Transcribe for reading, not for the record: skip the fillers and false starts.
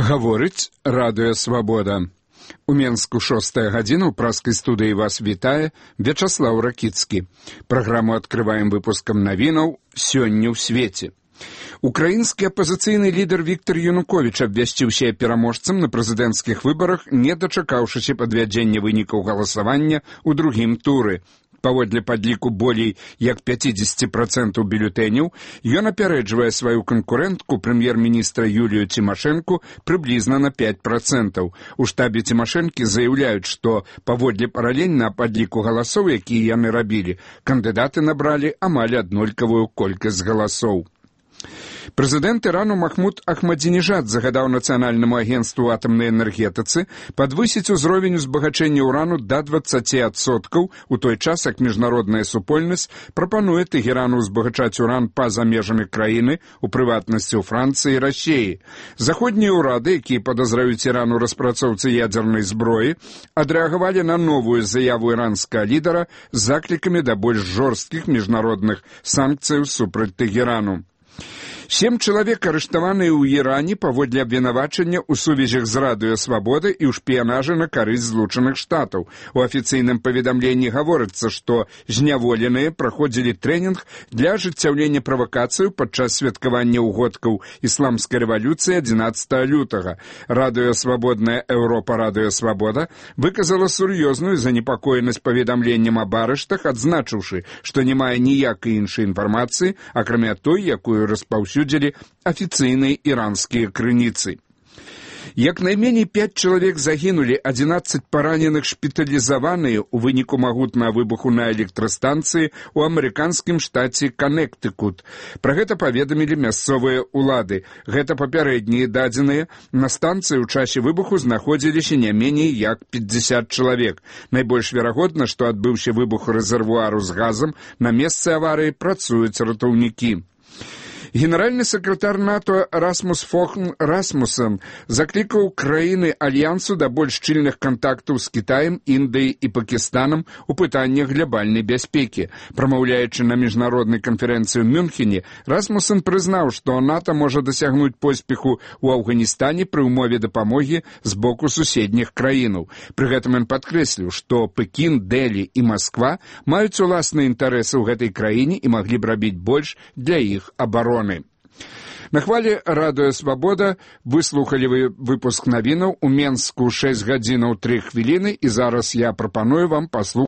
Гаворыць радыё «Свабода». У Менску 6 гадзіна, ў праскай студыі вас вітае Вячаслаў Ракіцкі. Праграму адкрываем выпускам навінаў «Сёння ў свеце». Украінскі апазіцыйны лідар Віктор Януковіч абвясціўся пераможцам на прэзідэнцкіх выбарах, не дачакаўшыся падвядзення вынікаў галасавання ў другім туры. Паводле падліку болей як 50% бюлетэняў, ён апярэджвае сваю канкурэнтку прэм'ер-міністра Юлію Цімашэнку прыблізна на 5%. У штабе Цімашэнкі заяўляюць, што паводле паралельна падліку галасоў, якія яны рабілі, кандыдаты набралі амаль аднолькавую колькасць галасоў. Прэзідэнт Ірану Махмуд Ахмадзінежад загадаў Нацыянальнаму агенцтву атамнай энергетыцы падвысіць узровень узбагачэння ўрану да 20%, у той час, як міжнародная супольнасць прапануе Тэгерану узбагачаць уран па-за межамі краіны, у прыватнасці ў Францыі і Расіі. Заходнія ўрады, якія падазраюць Іран у распрацоўцы ядзернай зброі, адрэагавалі на новую заяву іранскага лідара з заклікамі да больш жорсткіх міжнародных санкцыяў супраць Тэгерану. 7 чалавек арыштаваныя ў Іране паводле абвінавачання ў сувязях з радыё «Свабода» і ў шпіянажы на карысць Злучаных Штатаў. У афіцыйным паведамленні гаворыцца, што зняволеныя праходзілі трэнінг для ажыццяўлення правакацыяў падчас святкавання ўгодкаў ісламскай рэвалюцыі 11 лютага. Радыё «Свабодная Еўропа» радыё «Свабода» выказала сур'ёзную занепакоенасць паведамленнем аб арыштах, адзначыўшы, што не мае ніякай іншай інфармацыі, акрамя той, якую распаўсюдзілі афіцыйныя іранскія крыніцы. Як найменей 5 чалавек загінулі, 11 параненых шпіталізаваныя ў выніку магутнага выбуху на электрастанцыі ў амерыканскім штаце Канектыкут. Пра гэта паведамілі мясцовыя ўлады. Гэта папярэднія дадзеныя. На станцыі ў часе выбуху знаходзіліся не меней як 50 чалавек. Найбольш верагодна, што адбыўся выбух рэзервуару з газам. На месцы аварыі працуюць ратаўнікі. Генеральны сакратар НАТО Расмус Фохн Расмусен заклікаў краіны альянсу да больш шчыльных кантактаў з Кітаем, Індыяй і Пакістанам у пытаннях глобальнай бяспекі. Прамаўляючы на міжнароднай канферэнцыі ў Мюнхене, Расмусен прызнаў, што НАТО можа дасягнуць поспеху ў Афганістане пры ўмове дапамогі з боку суседніх краінаў. Пры гэтым ён падкрэсліў, што Пекін, Дэлі і Масква маюць уласныя інтарэсы ў гэтай краіне і маглі б рабіць больш для іх абароны. На хвале радыё «Свабода» выслухалі вы выпуск навінаў у Менску 6 гадзінаў 3 хвіліны, і зараз я прапаную вам паслухаць